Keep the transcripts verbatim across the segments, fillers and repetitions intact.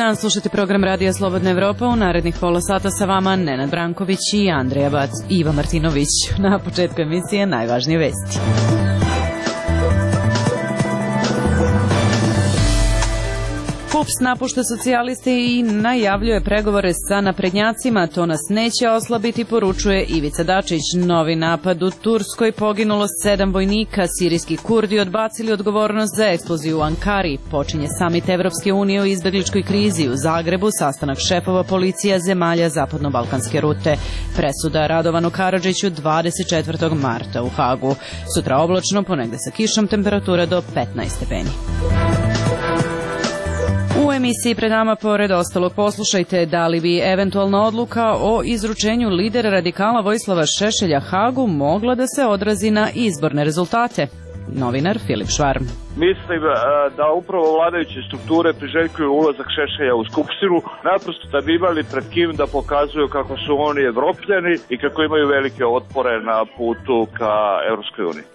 dan, slušate program Radija Slobodna Evropa. U narednih pola sata sa vama Nenad Branković i Andreja Bac. Iva Martinović. Na početku emisije najvažnije vesti. PUPS napušta socijaliste i najavljuje pregovore sa naprednjacima. To nas neće oslabiti, poručuje Ivica Dačić. Novi napad u Turskoj, poginulo sedam vojnika. Sirijski Kurdi odbacili odgovornost za eksploziju u Ankari. Počinje samit Evropske unije o izbegličkoj krizi. U Zagrebu sastanak šefova policija zemalja zapadno-balkanske rute. Presuda Radovanu Karadžiću dvadeset četvrtog marta u Hagu. Sutra oblačno, ponegde sa kišom, temperatura do petnaest stepeni. U emisiji pred nama, pored ostalog, poslušajte da li bi eventualna odluka o izručenju lidera radikala Vojislava Šešelja Hagu mogla da se odrazi na izborne rezultate. Novinar Filip Švarm. Mislim da upravo vladajuće strukture priželjkuju ulazak Šešelja u Skupštinu, naprosto da bi imali pred kim da pokazuju kako su oni Evropljani i kako imaju velike otpore na putu ka Evropskoj uniji.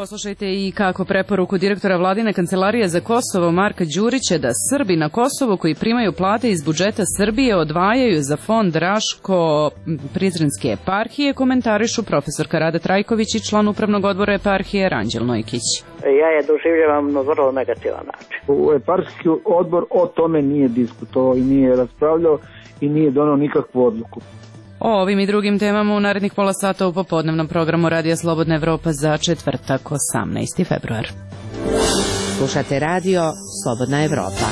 Poslušajte i kako preporuku direktora Vladine kancelarije za Kosovo Marka Đurića da Srbi na Kosovu koji primaju plate iz budžeta Srbije odvajaju za fond Raško-Prizrenske eparhije komentarišu profesorka Rada Trajković i član upravnog odbora eparhije Ranđel Nojkić. Ja je doživljavam na vrlo negativan način. U eparhijski odbor o tome nije diskutovao i nije raspravljao i nije donao nikakvu odluku. O ovim i drugim temama u narednih pola sata u popodnevnom programu Radija Slobodna Evropa za četvrtak osamnaesti februar. Slušate Radio Slobodna Evropa.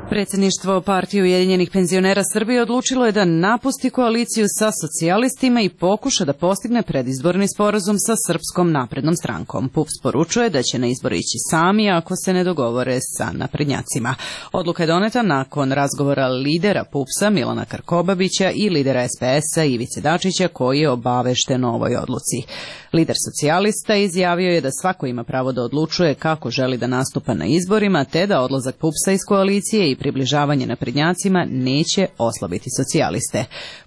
Predsjedništvo Partije Ujedinjenih penzionera Srbije odlučilo je da napusti koaliciju sa socijalistima i pokuša da postigne predizborni sporazum sa Srpskom naprednom strankom. PUPS poručuje da će na izbore ići sami ako se ne dogovore sa naprednjacima. Odluka je doneta nakon razgovora lidera PUPS-a Milana Krkobabića i lidera es pe es-a Ivice Dačića koji je obavešten o ovoj odluci. Lider socijalista izjavio je da svako ima pravo da odlučuje kako želi da nastupa na izborima, te da odlazak PUPS-a iz koalicije i približavanje naprednjacima neće oslabiti socijaliste.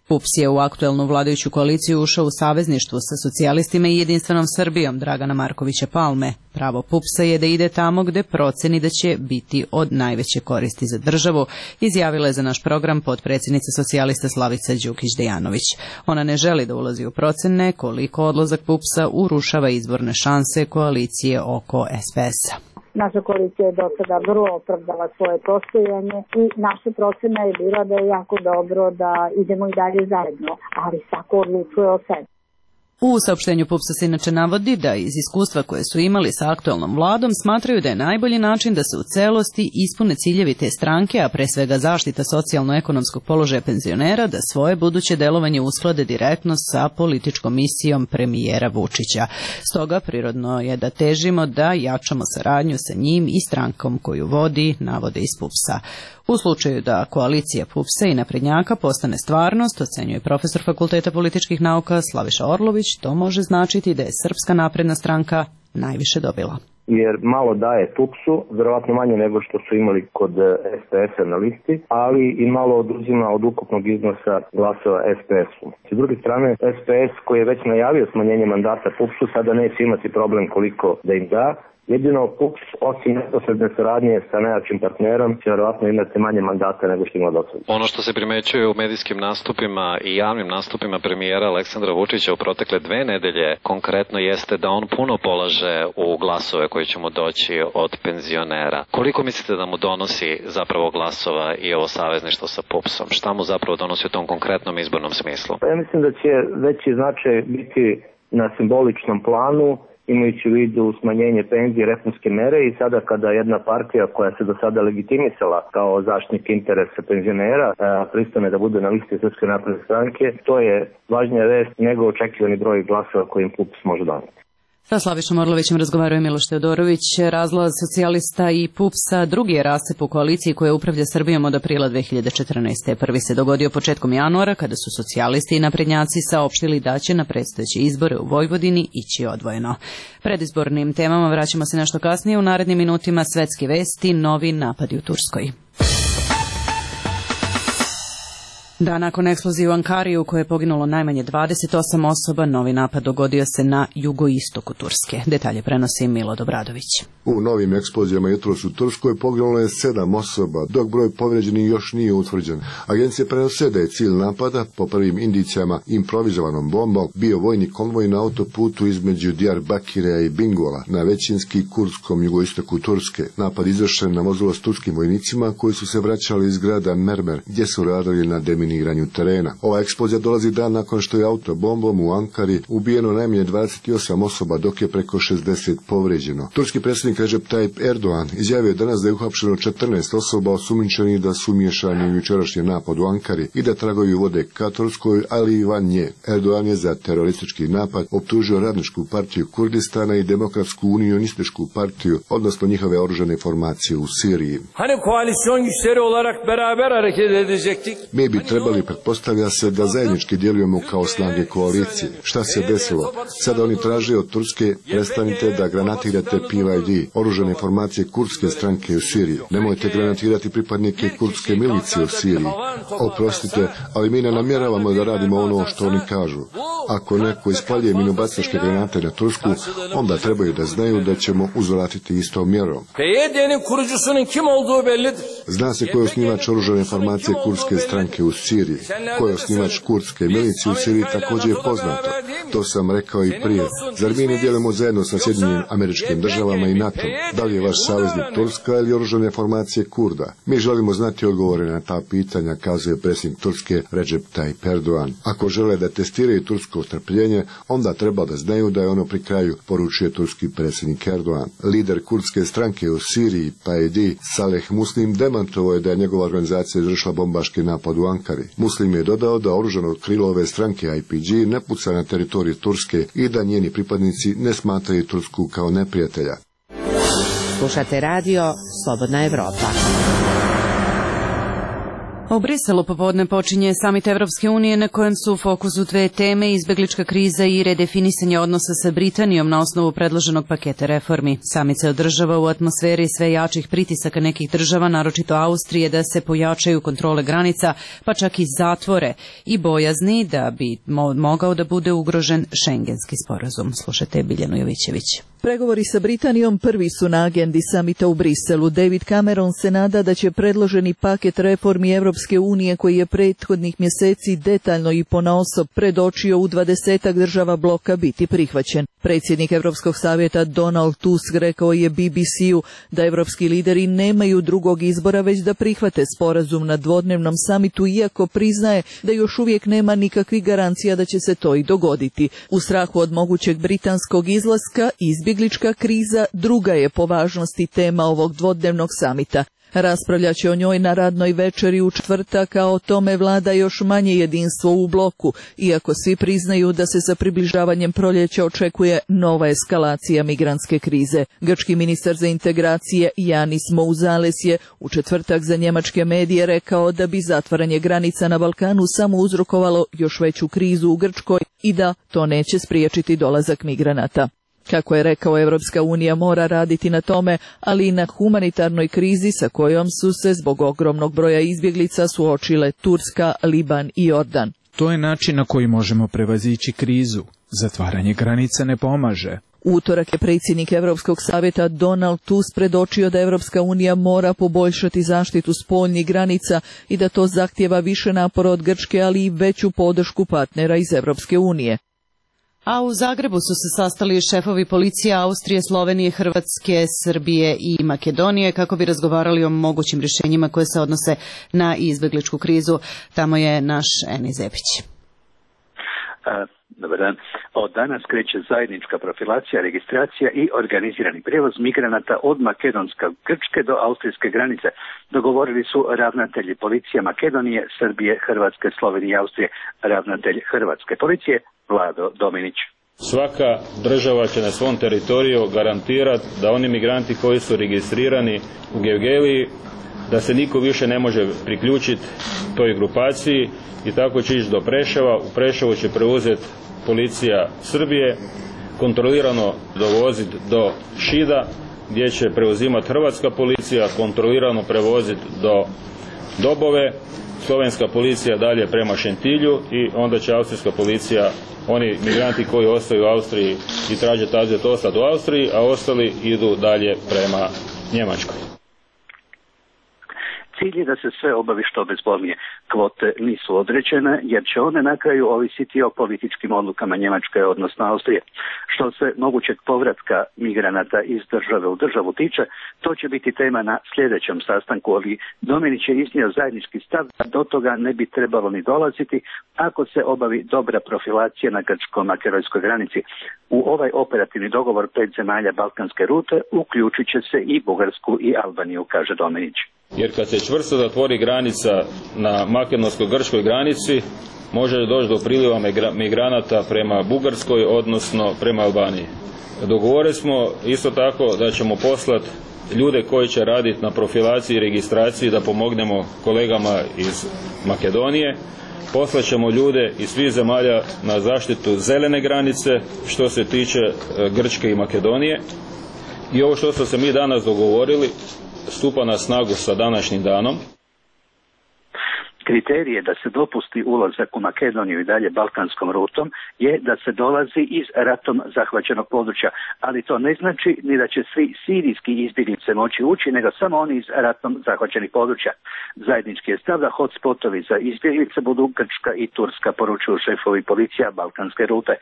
PUPS je u aktuelnu vladajuću koaliciju ušao u savezništvu sa socijalistima i Jedinstvenom Srbijom Dragana Markovića Palme. Pravo PUPS-a je da ide tamo gde proceni da će biti od najveće koristi za državu, izjavila je za naš program potpredsjednica socijalista Slavica Đukić-Dejanović. Ona ne želi da ulazi u procene koliko odlazak PUPS-a urušava izborne šanse koalicije oko es pe es-a. Naša koalicija je do sada vrlo opravdala svoje postojanje i naša procena je bila da je jako dobro da idemo i dalje zajedno, ali svako odlučuje o sebi. U saopštenju PUPS-a se inače navodi da iz iskustva koje su imali sa aktuelnom vladom smatraju da je najbolji način da se u celosti ispune ciljevi te stranke, a pre svega zaštita socijalno-ekonomskog položaja penzionera, da svoje buduće delovanje usklade direktno sa političkom misijom premijera Vučića. Stoga prirodno je da težimo da jačamo saradnju sa njim i strankom koju vodi, navode iz PUPS-a. U slučaju da koalicija PUPS-a i naprednjaka postane stvarnost, ocenjuje profesor Fakulteta političkih nauka Slaviša Orlović, to može značiti da je Srpska napredna stranka najviše dobila. Jer malo daje PUPS-u, verovatno manje nego što su imali kod es pe es-a na listi, ali i malo oduzima od ukupnog iznosa glasova es pe es-u. S druge strane, es pe es koji je već najavio smanjenje mandata PUPS-u, sada neće imati problem koliko da im da. Jedino PUPS, osim neposredne saradnje sa najjačim partnerom, će verovatno imati manje mandata nego što ima do sada. Ono što se primećuje u medijskim nastupima i javnim nastupima premijera Aleksandra Vučića u protekle dve nedelje konkretno jeste da on puno polaže u glasove koji će mu doći od penzionera. Koliko mislite da mu donosi zapravo glasova i ovo savezništvo sa PUPS-om? Šta mu zapravo donosi u tom konkretnom izbornom smislu? Ja mislim da će veći značaj biti na simboličnom planu, imajući u vidu smanjenje penzije, reformske mere i sada kada jedna partija koja se do sada legitimisala kao zaštitnik interesa penzionera pristane da bude na listi Srpske napredne stranke, to je važnija vest nego očekivani broj glasova kojim PUPS može doneti. Sa Slavišom Orlovićem razgovarao je Miloš Teodorović. Razlaz socijalista i PUPS-a drugi je rascep u koaliciji koja upravlja Srbijom od aprila dve hiljade četrnaeste. Prvi se dogodio početkom januara kada su socijalisti i naprednjaci saopštili da će na predstojeće izbore u Vojvodini ići odvojeno. Predizbornim temama vraćamo se nešto kasnije. U narednim minutima svetske vesti, novi napadi u Turskoj. Da, nakon eksplozije u Ankari u kojoj je poginulo najmanje dvadeset osam osoba, novi napad dogodio se na jugoistoku Turske. Detalje prenosi Milo Dobradović. U novim eksplozijama jutros u Turskoj poginulo je sedam osoba, dok broj povređenih još nije utvrđen. Agencije prenose da je cilj napada, po prvim indicijama improvizovanom bombom, bio vojni konvoj na autoputu između Diyarbakireja i Bingola, na većinski kurdskom jugoistoku Turske. Napad izvršen na vozilo s turskim vojnicima koji su se vraćali iz grada Mermer, gdje su radili na deminiranju terena. Ova eksplozija dolazi dan nakon što je autobombom u Ankari ubijeno najmanje dvadeset osam osoba, dok je preko šezdeset povređeno. Turski predsjednik Recep Tayyip Erdogan izjavio danas da je uhapšeno četrnaest osoba osumnjičenih da su umiješani u jučerašnji napad u Ankari i da tragovi vode ka Turskoj, ali i van nje. Erdogan je za teroristički napad optužio Radničku partiju Kurdistana i Demokratsku unionističku partiju, odnosno njihove oružane formacije u Siriji. Mi bi trebali, pretpostavlja se, da zajednički djelujemo kao snage koalicije. Šta se desilo? Sada oni traže od Turske, prestanite da granatirate P Y D, oružane formacije kurdske stranke u Siriji. Nemojte granatirati pripadnike kurdske milicije u Siriji. Oprostite, ali mi ne namjeravamo da radimo ono što oni kažu. Ako neko ispaljuje minobacačke granate na Tursku, onda trebaju da znaju da ćemo uzvratiti istom mjerom. Zna se ko je osnivač oružane formacije kurdske stranke u Siriji. Ko je osnivač kurdske milicije u Siriji također je poznato. To sam rekao i prije. Zar mi ne djelujemo zajedno sa Sjedinjenim Američkim Državama i NATO? Da li je vaš saveznik Turska ili oružane formacije Kurda? Mi želimo znati odgovore na ta pitanja, kazuje predsjednik Turske Recep Tayyip Erdogan. Ako žele da testiraju tursko strpljenje, onda treba da znaju da je ono pri kraju, poručuje turski predsjednik Erdogan. Lider kurdske stranke u Siriji, P Y D, Saleh Muslim, demantovao je da je njegova organizacija izvršila bombaški napad u Ankari. Muslim je dodao da oružano krilo ove stranke I P G ne puca na teritoriju Turske i da njeni pripadnici ne smatraju Tursku kao neprijatelja. Slušate radio Slobodna Evropa. U Briselu popodne počinje samit Evropske unije na kojem su u fokusu dve teme, izbeglička kriza i redefinisanje odnosa sa Britanijom na osnovu predloženog paketa reformi. Samit se održava u atmosferi sve jačih pritisaka nekih država, naročito Austrije, da se pojačaju kontrole granica, pa čak i zatvore, i bojazni da bi mo- mogao da bude ugrožen šengenski sporazum. Slušajte Biljanu Jovićević. Pregovori sa Britanijom prvi su na agendi samita u Briselu. David Cameron se nada da će predloženi paket reformi Evropske unije, koji je prethodnih mjeseci detaljno i ponaosob predočio u dvadesetak država bloka, biti prihvaćen. Predsjednik Evropskog savjeta Donald Tusk rekao je B B C-u da evropski lideri nemaju drugog izbora već da prihvate sporazum na dvodnevnom samitu, iako priznaje da još uvijek nema nikakvih garancija da će se to i dogoditi. U strahu od mogućeg britanskog izlaska, izbjeglička kriza druga je po važnosti tema ovog dvodnevnog samita. Raspravljat će o njoj na radnoj večeri u četvrtak, a o tome vlada još manje jedinstvo u bloku, iako svi priznaju da se sa približavanjem proljeća očekuje nova eskalacija migrantske krize. Grčki ministar za integracije Yanis Mouzales je u četvrtak za njemačke medije rekao da bi zatvaranje granica na Balkanu samo uzrokovalo još veću krizu u Grčkoj i da to neće spriječiti dolazak migranata. Kako je rekao, Evropska unija mora raditi na tome, ali i na humanitarnoj krizi sa kojom su se zbog ogromnog broja izbjeglica suočile Turska, Liban i Jordan. To je način na koji možemo prevazići krizu. Zatvaranje granica ne pomaže. U utorak je predsjednik Evropskog savjeta Donald Tusk predočio da Evropska unija mora poboljšati zaštitu spoljnih granica i da to zahtijeva više napora od Grčke, ali i veću podršku partnera iz Evropske unije. A u Zagrebu su se sastali šefovi policije Austrije, Slovenije, Hrvatske, Srbije i Makedonije kako bi razgovarali o mogućim rješenjima koje se odnose na izbegličku krizu. Tamo je naš Eni Zepić. Dobar dan. Od danas kreće zajednička profilacija, registracija i organizirani prijevoz migranata od makedonske Grčke do austrijske granice. Dogovorili su ravnatelji policije Makedonije, Srbije, Hrvatske, Slovenije i Austrije. Ravnatelj Hrvatske policije Vlado Dominić. Svaka država će na svom teritoriju garantirati da oni migranti koji su registrirani u Gevgeliji, da se niko više ne može priključiti toj grupaciji i tako će ići do Preševa. U Preševu će preuzeti policija Srbije, kontrolirano dovoziti do Šida, gdje će preuzimati hrvatska policija, kontrolirano prevoziti do Dobove, slovenska policija dalje prema Šentilju i onda će austrijska policija, oni migranti koji ostaju u Austriji i traže azil ostati u Austriji, a ostali idu dalje prema Njemačkoj. Cilj je da se sve obavi što bezbolnije. Kvote nisu određene jer će one na kraju ovisiti o političkim odlukama Njemačke, odnosno Austrije. Što se mogućeg povratka migranata iz države u državu tiče, to će biti tema na sljedećem sastanku, ali Dominić je iznio zajednički stav da do toga ne bi trebalo ni dolaziti ako se obavi dobra profilacija na grčko-makedonskoj granici. U ovaj operativni dogovor pet zemalja Balkanske rute uključit će se i Bugarsku i Albaniju, kaže Dominić. Jer kad se čvrsto zatvori granica na makedonsko-grčkoj granici, može doći do priliva migranata prema Bugarskoj, odnosno prema Albaniji. Dogovorili smo isto tako da ćemo poslati ljude koji će raditi na profilaciji i registraciji da pomognemo kolegama iz Makedonije. Poslaćemo ljude iz svih zemalja na zaštitu zelene granice što se tiče Grčke i Makedonije. I ovo što smo se mi danas dogovorili stupa na snagu sa današnjim danom. Kriterije da se dopusti ulazak u Makedoniju i dalje balkanskom rutom je da se dolazi iz ratom zahvaćenog područja, ali to ne znači ni da će svi sirijski izbjeglice moći ući, nego samo oni iz ratom zahvaćenih područja. Zajednički je stav da hotspotovi za izbjeglice budu Grčka i Turska, poručuju šefovi policija balkanske rute.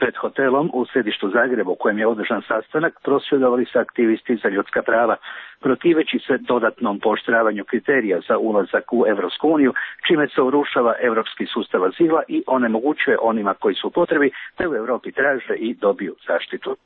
Pred hotelom u središtu Zagrebu, u kojem je održan sastanak, prosvjedovali su aktivisti za ljudska prava, protiveći se dodatnom pooštravanju kriterija za ulazak u Evropsku uniju, čime se urušava europski sustav azila i onemogućuje onima koji su u potrebi da u Europi traže i dobiju zaštitu.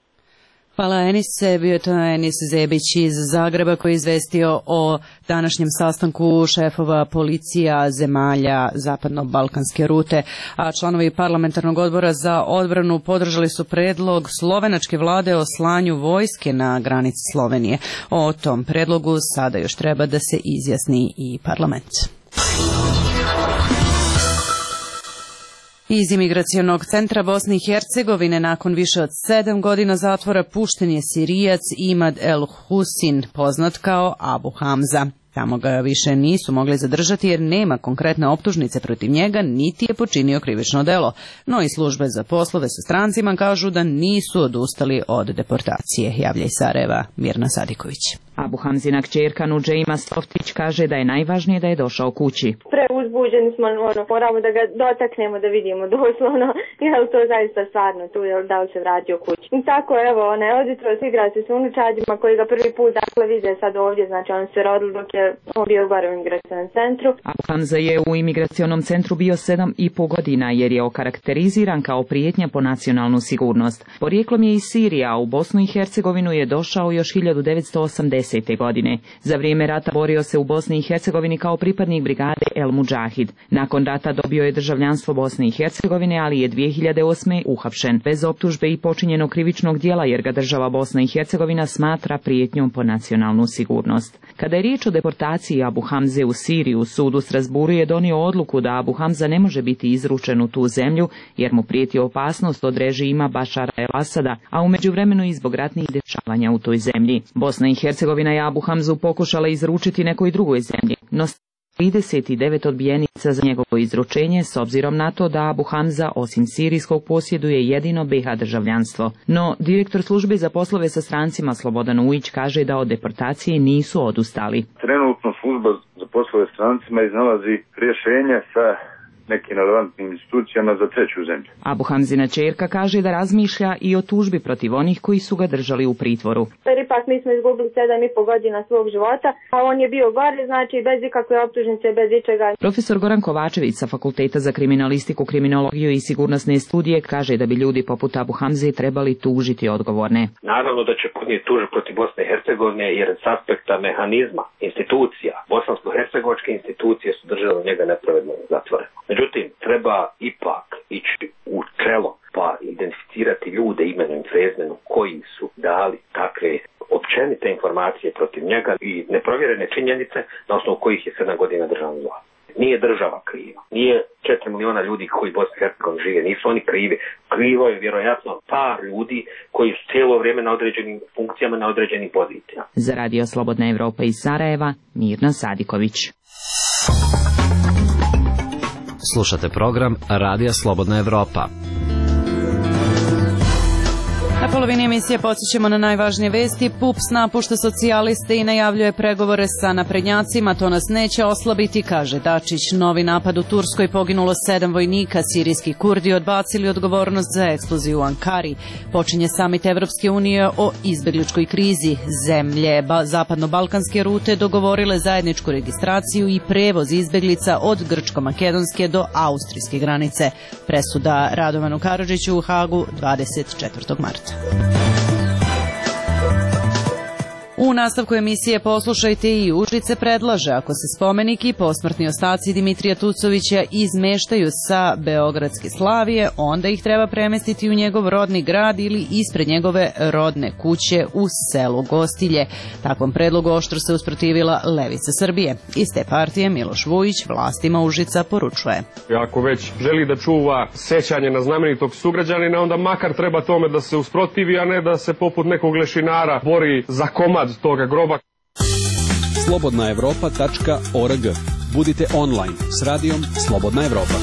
Hvala Enise, bio je to Enis Zebić iz Zagreba koji je izvestio o današnjem sastanku šefova policija zemalja zapadno-balkanske rute, a članovi parlamentarnog odbora za odbranu podržali su predlog slovenačke vlade o slanju vojske na granici Slovenije. O tom predlogu sada još treba da se izjasni i parlament. Iz imigracionog centra Bosne i Hercegovine nakon više od sedam godina zatvora pušten je Sirijac Imad El Husin, poznat kao Abu Hamza. Tamo ga više nisu mogli zadržati jer nema konkretne optužnice protiv njega, niti je počinio krivično delo. No i službe za poslove sa strancima kažu da nisu odustali od deportacije. Javlja iz Sarajeva Mirna Sadiković. Abu Hamzina kćerka Nudžejma Stoftić kaže da je najvažnije da je došao kući. Preuzbuđeni smo, ono, moramo da ga dotaknemo, da vidimo doslovno, je li to zaista stvarno tu, je li da li se vratio kući. I tako, evo, ona je oditro, igra se s unučadima koji ga prvi put dakle vide sad ovdje, znači on se rodil dok je on bio gore u imigracionom centru. Abu Hamza je u imigracionom centru bio sedam i po godina jer je okarakteriziran kao prijetnja po nacionalnu sigurnost. Porijeklom je iz Sirije, a u Bosnu i Hercegovinu je došao još hiljadu devetsto osamdesete godine. Za vrijeme rata borio se u Bosni i Hercegovini kao pripadnik brigade El Mudžahid. Nakon rata dobio je državljanstvo Bosne i Hercegovine, ali je dvije hiljade osme uhapšen bez optužbe i počinjenog krivičnog djela jer ga država Bosna i Hercegovina smatra prijetnjom po nacionalnu sigurnost. Kada je riječ o deportaciji Abu Hamze u Siriju, sud u Strasburu je donio odluku da Abu Hamza ne može biti izručen u tu zemlju jer mu prijeti opasnost od režima Bašara el-Asada, a u međuvremenu i zbog ratnih dešavanja u toj zemlji. Bosna i Hercegovina je Abu Hamzu pokušala izručiti nekoj drugoj zemlji, no trideset devet odbijenica za njegovo izručenje s obzirom na to da Abu Hamza osim sirijskog posjeduje jedino be ha državljanstvo. No, direktor službe za poslove sa strancima Slobodan Ujić kaže da od deportacije nisu odustali. Trenutno služba za poslove s strancima iznalazi rješenje sa nekim relevantnim institucijama za treću zemlju. Abu Hamzina ćerka kaže da razmišlja i o tužbi protiv onih koji su ga držali u pritvoru. Jer ipak mi smo izgubili sedam i po godina svog života, a on je bio gore, znači bez ikakve optužnice, bez ičega. Profesor Goran Kovačević sa Fakulteta za kriminalistiku, kriminologiju i sigurnosne studije kaže da bi ljudi poput Abu Hamze trebali tužiti odgovorne. Naravno da će podnijeti tužbu protiv Bosne i Hercegovine jer s aspekta mehanizma, institucija, bosansko-hercegovačke institucije su držale njega nepravedno zatvoreno. Međutim, treba ipak ići u čelo pa identificirati ljude imenom i prezimenom koji su dali takve općenite informacije protiv njega i neprovjerene činjenice na osnovu kojih je sedam godina državna vlast. Nije država kriva, nije četiri miliona ljudi koji u Bosni i Hercegovini žive, nisu oni krivi. Krivo je vjerojatno par ljudi koji su cijelo vrijeme na određenim funkcijama, na određenim pozicijama. Za Radio Slobodna Evropa iz Sarajeva, Mirna Sadiković. Slušate program Radija Slobodna Evropa. Na polovini emisije podsjećamo na najvažnije vesti. PUPS napušta socijaliste i najavljuje pregovore sa naprednjacima. To nas neće oslabiti, kaže Dačić. Novi napad u Turskoj, poginulo sedam vojnika. Sirijski Kurdi odbacili odgovornost za eksploziju u Ankari. Počinje samit Evropske unije o izbegličkoj krizi. Zemlje zapadno-balkanske rute dogovorile zajedničku registraciju i prevoz izbeglica od grčko-makedonske do austrijske granice. Presuda Radovanu Karadžiću u Hagu dvadeset četvrtog marta. U nastavku emisije poslušajte i Užice predlaže, ako se spomenik i posmrtni ostaci Dimitrija Tucovića izmeštaju sa Beogradske Slavije, onda ih treba premestiti u njegov rodni grad ili ispred njegove rodne kuće u selu Gostilje. Takvom predlogu oštro se usprotivila Levica Srbije. Iz te partije Miloš Vujić vlastima Užica poručuje: ako već želi da čuva sećanje na znamenitog sugrađanina, onda makar treba tome da se usprotivi, a ne da se poput nekog lešinara bori za komad toga groba. slobodna evropa tačka org. Budite online s radijom Slobodna Evropa.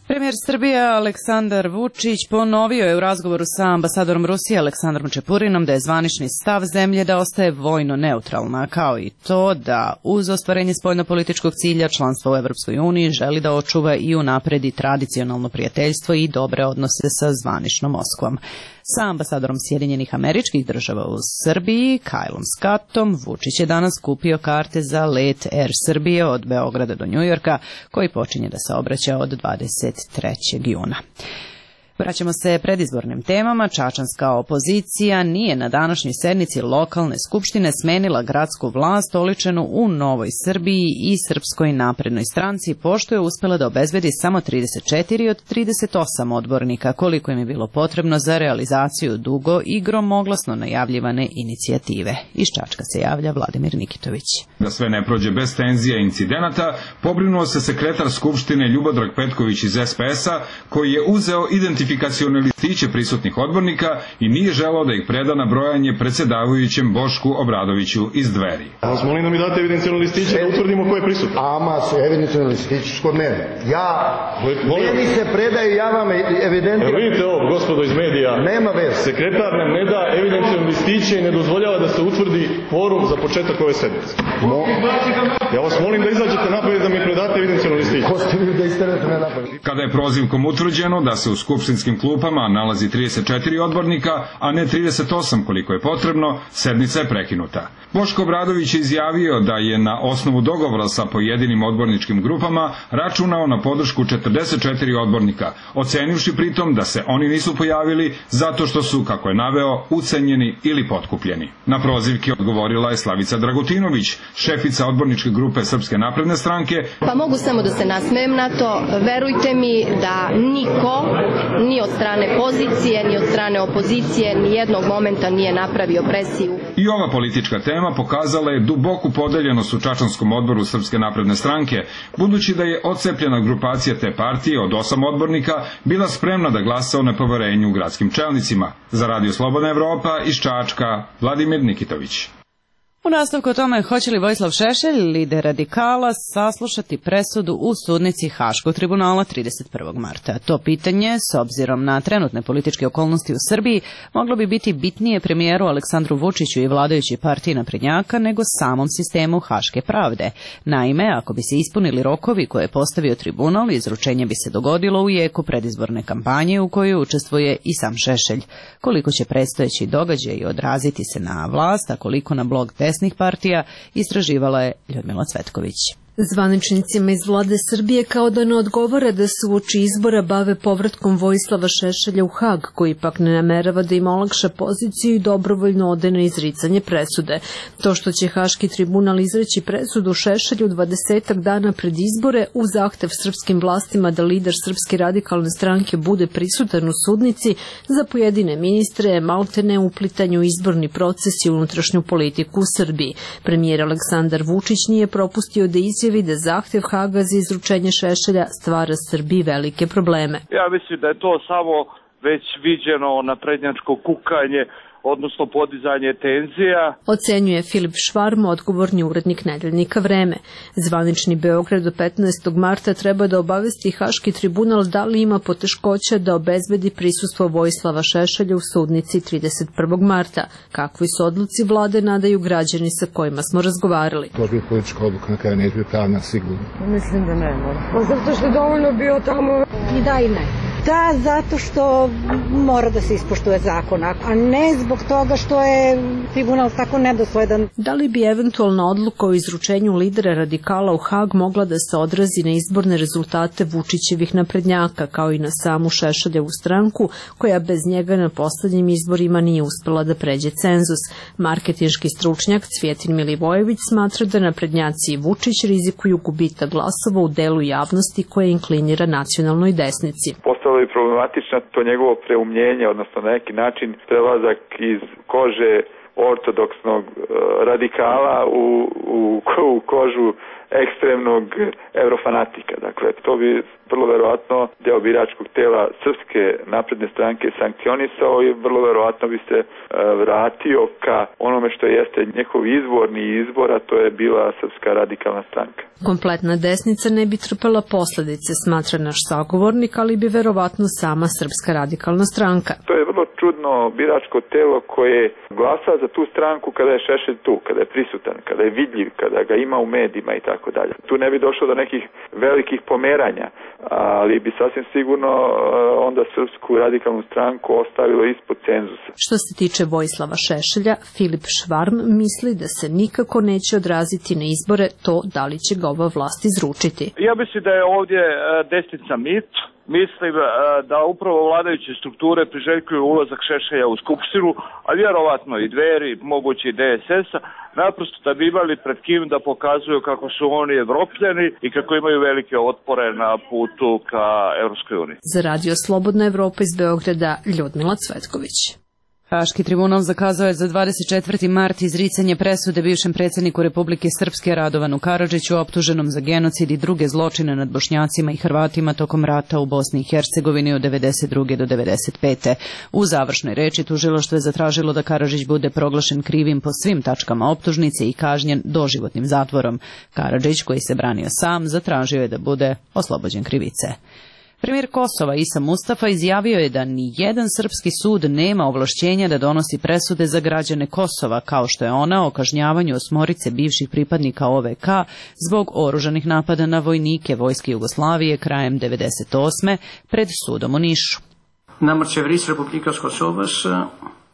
Premijer Srbije Aleksandar Vučić ponovio je u razgovoru sa ambasadorom Rusije Aleksandrom Čepurinom da je zvanični stav zemlje da ostaje vojno neutralna, kao i to da uz ostvarenje spoljnopolitičkog cilja članstva u Evropskoj uniji želi da očuva i unapredi tradicionalno prijateljstvo i dobre odnose sa zvaničnom Moskvom. Sa ambasadorom Sjedinjenih Američkih Država u Srbiji, Kajlom Skattom, Vučić je danas kupio karte za let Air Srbije od Beograda do Njujorka, koji počinje da se obraća od dvadeset trećeg juna. Vraćamo se predizbornim temama. Čačanska opozicija nije na današnjoj sednici lokalne skupštine smenila gradsku vlast oličenu u Novoj Srbiji i Srpskoj naprednoj stranci, pošto je uspela da obezbedi samo trideset četiri od trideset osam odbornika, koliko im je bilo potrebno za realizaciju dugo i gromoglasno najavljivane inicijative. Iz Čačka se javlja Vladimir Nikitović. Da sve ne prođe bez tenzija i incidenata, pobrinuo se sekretar Skupštine Ljubodrag Petković iz es pe es-a, koji je uzeo identifikacione listiće prisutnih odbornika i nije želeo da ih preda na brojanje predsjedavajućem Bošku Obradoviću iz Dveri. Vas molim da mi date evidencijone listiće da utvrdimo ko je prisutno. Ama su evidencijone listiće kod mene. Ja, meni se predaju, ja vam evidentiram. Evo vidite ovo, gospodo iz medija. Nema veze. Sekretar nam ne da evidencijone listiće i ne dozvoljava da se utvrdi kvorum za početak ove sednice. Mo... Ja vas molim da izađete napolje da mi predate evidencijone listiće. Ko ste vi da isterate me napolje? Kada je prozivkom utvrđeno da se u skupštinskim klupama nalazi trideset četiri odbornika, a ne trideset osam koliko je potrebno, sednica je prekinuta. Boško Obradović je izjavio da je na osnovu dogovora sa pojedinim odborničkim grupama računao na podršku četrdeset četiri odbornika, ocenivši pritom da se oni nisu pojavili zato što su, kako je naveo, ucenjeni ili potkupljeni. Na prozivke odgovorila je Slavica Dragutinović, šefica odborničke grupe Srpske napredne stranke. Pa mogu samo da se nasmejem na to. Verujte mi da niko, ni od strane pozicije, ni od strane opozicije, ni jednog momenta nije napravio presiju. I ova politička tema pokazala je duboku podeljenost u Čačanskom odboru Srpske napredne stranke, budući da je odcepljena grupacija te partije od osam odbornika bila spremna da glasa o nepoverenju gradskim čelnicima. Za Radio Slobodna Evropa iz Čačka, Vladimir Nikitović. U nastavku o tome hoće li Vojislav Šešelj, lider radikala, saslušati presudu u sudnici Haškog tribunala trideset prvog marta. To pitanje, s obzirom na trenutne političke okolnosti u Srbiji, moglo bi biti bitnije premijeru Aleksandru Vučiću i vladajućoj partiji naprednjaka nego samom sistemu Haške pravde. Naime, ako bi se ispunili rokovi koje je postavio tribunal, izručenje bi se dogodilo u jeku predizborne kampanje u kojoj učestvuje i sam Šešelj. Koliko će predstojeći događaj odraziti se na vlast, a koliko na blog desnih partija, istraživala je Ljudmila Cvetković. Zvaničnicima iz vlade Srbije kao da ne odgovara da se uoči izbora bave povratkom Vojislava Šešelja u Hag, koji pak ne namerava da im olakša poziciju i dobrovoljno ode na izricanje presude. To što će Haški tribunal izreći presudu Šešelju dvadesetak dana pred izbore u zahtev srpskim vlastima da lider Srpske radikalne stranke bude prisutan u sudnici, za pojedine ministre je maltene uplitanju izborni proces i unutrašnju politiku u Srbiji. Premijer Aleksandar Vučić nije propustio da izjavi da zahtev Haga za izručenje Šešelja stvara Srbiji velike probleme. Ja mislim da je to samo već viđeno naprednjačko kukanje odnosno podizanje tenzija. Ocenjuje Filip Švarm, odgovorni urednik nedeljnika Vreme. Zvanični Beograd do petnaestog marta treba da obavesti Haški tribunal da li ima poteškoća da obezbedi prisustvo Vojislava Šešelja u sudnici trideset prvog marta. Kakvi su odluci vlade nadaju građani sa kojima smo razgovarali. To bi politička odluka, na kraju neće biti pravna, sigurno. Mislim da ne mora. Pa zato što je dovoljno bio tamo i da i ne. Da, zato što mora da se ispoštuje zakon, a ne zbog toga što je tribunal tako nedosledan. Da li bi eventualna odluka o izručenju lidera radikala u Hag mogla da se odrazi na izborne rezultate Vučićevih naprednjaka, kao i na samu Šešeljevu stranku, koja bez njega na poslednjim izborima nije uspela da pređe cenzus? Marketinški stručnjak Cvjetin Milivojević smatra da naprednjaci i Vučić rizikuju gubitak glasova u delu javnosti koja inklinira nacionalnoj desnici. Postalo je problematično to njegovo preumljenje, odnosno na neki način prelazak iz kože ortodoksnog uh, radikala u, u, u kožu ekstremnog eurofanatika. Dakle, to bi vrlo verovatno deo biračkog tela Srpske napredne stranke sankcionisao i vrlo verovatno bi se uh, vratio ka onome što jeste njihov izvorni izbor, a to je bila Srpska radikalna stranka. Kompletna desnica ne bi trpela posledice, smatra naš sagovornik, ali bi verovatno sama Srpska radikalna stranka. To je vrlo čudno biračko telo koje glasa za tu stranku kada je Šešelj tu, kada je prisutan, kada je vidljiv, kada ga ima u medijima i tako dalje. Tu ne bi došlo do nekih velikih pomeranja, ali bi sasvim sigurno onda Srpsku radikalnu stranku ostavilo ispod cenzusa. Što se tiče Vojislava Šešelja, Filip Švarm misli da se nikako neće odraziti na izbore to da li će ga ova vlast izručiti. Ja mislim da je ovdje desnica mit. Mislim da upravo vladajuće strukture priželjkuju ulazak Šešelja u Skupštinu, a vjerovatno i Dveri, moguće i D S S-a, naprosto da bi imali pred kim da pokazuju kako su oni Evropljani i kako imaju velike otpore na putu ka Evropskoj uniji. Za Radio Slobodna Evropa iz Beograda, Ljudmila Cvetković. Haški tribunal zakazao je za dvadeset četvrti mart izricanje presude bivšem predsjedniku Republike Srpske Radovanu Karadžiću, optuženom za genocid i druge zločine nad Bošnjacima i Hrvatima tokom rata u Bosni i Hercegovini od devedeset druge do devedeset pete. U završnoj reči tužilaštvo je zatražilo da Karadžić bude proglašen krivim po svim tačkama optužnice i kažnjen doživotnim zatvorom. Karadžić, koji se branio sam, zatražio je da bude oslobođen krivice. Premijer Kosova Isa Mustafa izjavio je da ni jedan srpski sud nema ovlašćenja da donosi presude za građane Kosova, kao što je ona o kažnjavanju osmorice bivših pripadnika O V K zbog oružanih napada na vojnike Vojske Jugoslavije krajem devedeset osme pred sudom u Nišu.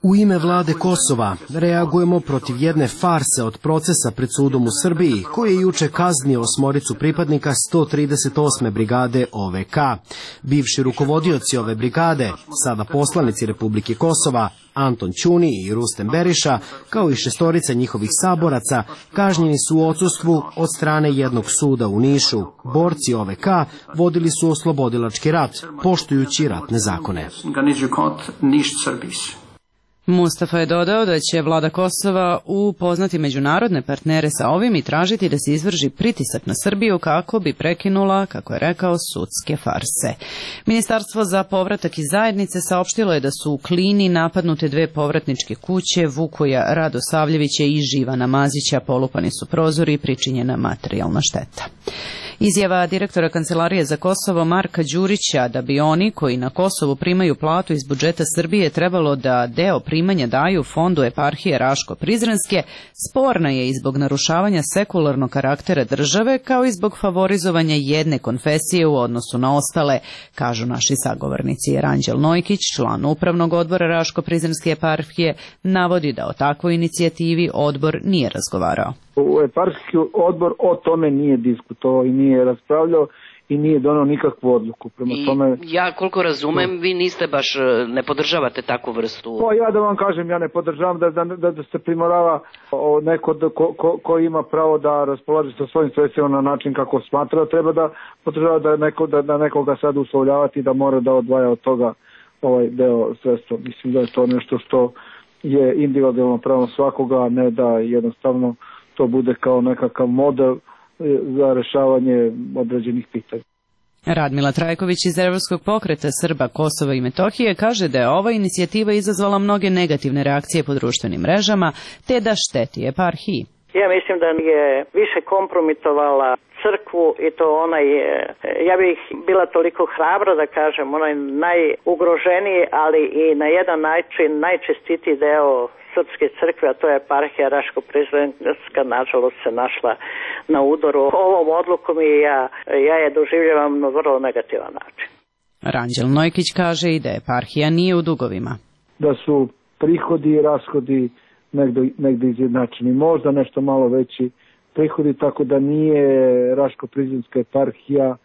U ime vlade Kosova reagujemo protiv jedne farse od procesa pred sudom u Srbiji, koji je juče kaznio osmoricu pripadnika sto trideset osme brigade O V K. Bivši rukovodioci ove brigade, sada poslanici Republike Kosova, Anton Ćuni i Rustem Beriša, kao i šestorica njihovih saboraca, kažnjeni su u odsustvu od strane jednog suda u Nišu. Borci O V K vodili su oslobodilački rat, poštujući ratne zakone. Mustafa je dodao da će vlada Kosova upoznati međunarodne partnere sa ovim i tražiti da se izvrši pritisak na Srbiju kako bi prekinula, kako je rekao, sudske farse. Ministarstvo za povratak iz zajednice saopštilo je da su u Klini napadnute dve povratničke kuće Vukoja Radosavljevića i Živana Mazića, polupani su prozori i pričinjena materijalna šteta. Izjava direktora Kancelarije za Kosovo Marka Đurića da bi oni koji na Kosovu primaju platu iz budžeta Srbije trebalo da deo primanja daju fondu eparhije Raško-Prizrenske sporna je i zbog narušavanja sekularnog karaktera države, kao i zbog favorizovanja jedne konfesije u odnosu na ostale, kažu naši sagovornici. Ranđel Nojkić, član upravnog odbora Raško-Prizrenske eparhije, navodi da o takvoj inicijativi odbor nije razgovarao. Eparhijski odbor o tome nije diskutovao i nije raspravljao i nije donao nikakvu odluku. Prema I tome, ja koliko razumem, vi niste baš, ne podržavate takvu vrstu. Pa ja da vam kažem, ja ne podržavam da, da, da se primorava neko da, ko, ko, ko ima pravo da raspolaže sa svojim sredstvima na način kako smatra, treba da podržava da, neko, da, da nekoga sad uslovljavati da mora da odvaja od toga ovaj deo sredstva. Mislim da je to nešto što je individualno pravo svakoga, a ne da jednostavno to bude kao nekakav model za rešavanje određenih pitanja. Radmila Trajković iz Evropskog pokreta Srba, Kosova i Metohije kaže da je ova inicijativa izazvala mnoge negativne reakcije po društvenim mrežama, te da šteti eparhiji. Ja mislim da je više kompromitovala crkvu i to onaj, ja bih bila toliko hrabra da kažem, onaj najugroženiji, ali i na jedan način najčestitiji deo srpske crkve, a to je eparhija Raško-Prizrenska, nažalost se našla na udaru ovom odlukom i ja, ja je doživljavam na vrlo negativan način. Ranđel Nojkić kaže i da eparhija nije u dugovima. Da su prihodi i rashodi negde, negde izjednačeni, možda nešto malo veći prihodi, tako da nije Raško-Prizrenska eparhija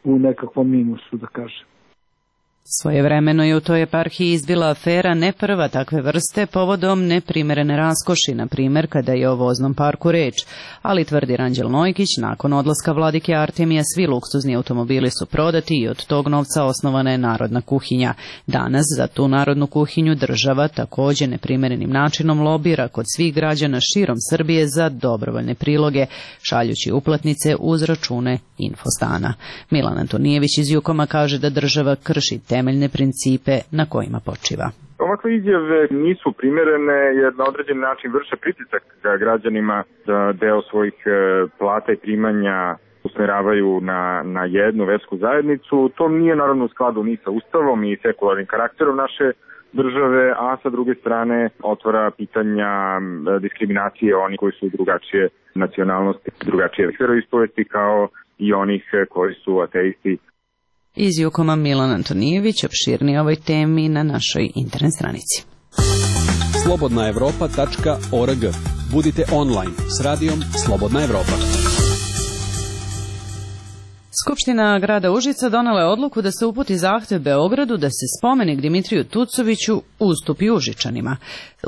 u nekakvom minusu, da kažem. Svojevremeno je u toj eparhiji izbila afera ne prva takve vrste povodom neprimerene raskoši, na primjer kada je o voznom parku reč, ali tvrdi Ranđel Nojkić, nakon odlaska vladike Artemija svi luksuzni automobili su prodati i od tog novca osnovana je narodna kuhinja. Danas za tu narodnu kuhinju država također neprimerenim načinom lobira kod svih građana širom Srbije za dobrovoljne priloge, šaljući uplatnice uz račune Infostana. Milan Antonijević iz Jukoma kaže da država krši temeljne principe na kojima počiva. Ovakve izjave nisu primjerene jer na određen način vrše pritisak građanima da deo svojih plata i primanja usmeravaju na, na jednu versku zajednicu. To nije naravno u skladu ni sa Ustavom i sekularnim karakterom naše države, a sa druge strane otvara pitanja diskriminacije onih koji su drugačije nacionalnosti, drugačije veroispovesti kao i onih koji su ateisti. Iz Jukoma Milan Antonijević opširnije ovoj temi na našoj internet stranici. slobodna evropa tačka org. Budite online s radijom Slobodna Evropa. Skupština grada Užica donela je odluku da se uputi zahtev Beogradu da se spomenik Dimitriju Tucoviću ustupi Užičanima.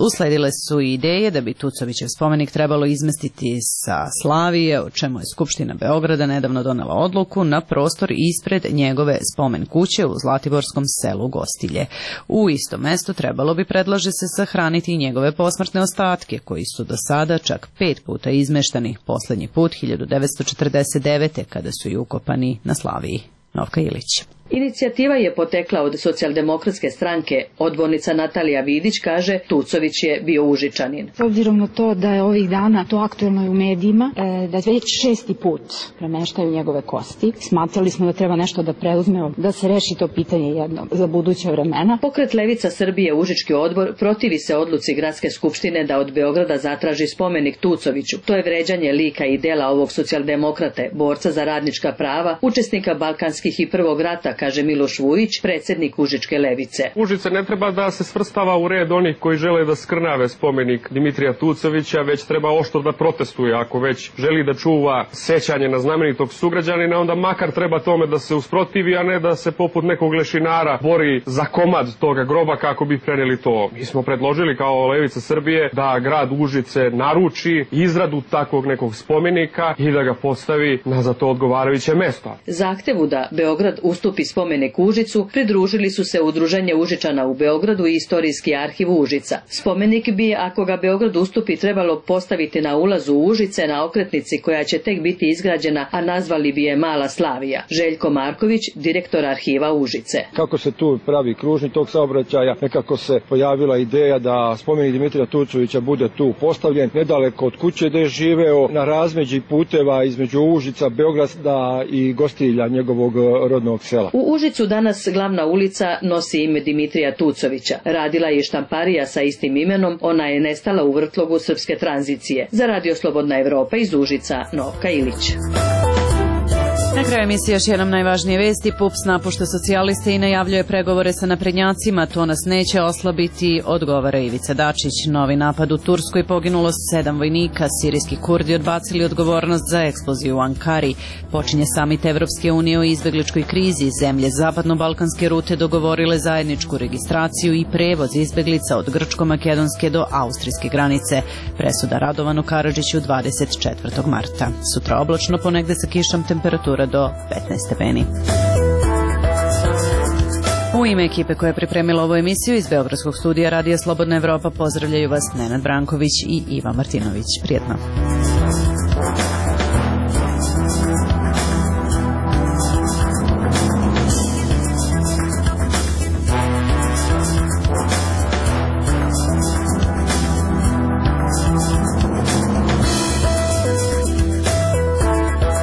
Usledile su i ideje da bi Tucovićev spomenik trebalo izmestiti sa Slavije, o čemu je Skupština Beograda nedavno donela odluku, na prostor ispred njegove spomen kuće u Zlatiborskom selu Gostilje. U isto mesto trebalo bi, predlaže se, sahraniti i njegove posmrtne ostatke, koji su do sada čak pet puta izmeštani, poslednji put hiljadu devetsto četrdeset devete. kada su i ukopani na Slaviji. Novka Ilić. Inicijativa je potekla od Socijaldemokratske stranke. Odbornica Natalija Vidić kaže Tucović je bio Užičanin. S obzirom na to da je ovih dana to aktuelno i u medijima, da već šesti put premeštaju njegove kosti, smatrali smo da treba nešto da preuzme, da se reši to pitanje jedno za buduće vremena. Pokret Levica Srbije Užički odbor protivi se odluci Gradske skupštine da od Beograda zatraži spomenik Tucoviću. To je vređanje lika i dela ovog socijaldemokrate, borca za radnička prava, učesnika balkanskih i prvog rata, kaže Miloš Vujić, predsjednik Užičke levice. Užice ne treba da se svrstava u red onih koji žele da skrnave spomenik Dimitrija Tucovića, već treba oštro da protestuje. Ako već želi da čuva sećanje na znamenitog sugrađanina, onda makar treba tome da se usprotivi, a ne da se poput nekog lešinara bori za komad toga groba kako bi preneli to. Mi smo predložili kao Levica Srbije da grad Užice naruči izradu takvog nekog spomenika i da ga postavi na za to odgovarajuće mesto. Zahtevu da Beograd ustupi spomenik Užicu pridružili su se Udruženje Užičana u Beogradu i Istorijski arhiv Užica. Spomenik bi, ako ga Beograd ustupi, trebalo postaviti na ulazu Užice na okretnici koja će tek biti izgrađena, a nazvali bi je Mala Slavija. Željko Marković, direktor arhiva Užice. Kako se tu pravi kružni tok saobraćaja, nekako se pojavila ideja da spomenik Dimitrija Tucovića bude tu postavljen, nedaleko od kuće gde je živeo, na razmeđi puteva između Užica, Beograda i Gostilja, njegovog rodnog sela. U Užicu danas glavna ulica nosi ime Dimitrija Tucovića. Radila je štamparija sa istim imenom, ona je nestala u vrtlogu srpske tranzicije. Za Radio Slobodna Evropa iz Užica, Novka Ilić. Na kraju emisije još jednom najvažnije vesti. PUPS napušta socijaliste i najavljuje pregovore sa naprednjacima. To nas neće oslabiti, odgovara Ivica Dačić. Novi napad u Turskoj, poginulo sedam vojnika. Sirijski Kurdi odbacili odgovornost za eksploziju u Ankari. Počinje samit Evropske unije o izbegličkoj krizi. Zemlje zapadno-balkanske rute dogovorile zajedničku registraciju i prevoz izbeglica od grčko-makedonske do austrijske granice. Presuda Radovanu Karadžiću dvadeset četvrtog marta. Sutra oblačno, ponegde sa kišom, temperatura do petnaest stepeni. U ime ekipe koja je pripremila ovu emisiju iz Beogradskog studija Radija Slobodna Evropa pozdravljaju vas Nenad Branković i Ivan Martinović. Prijetno.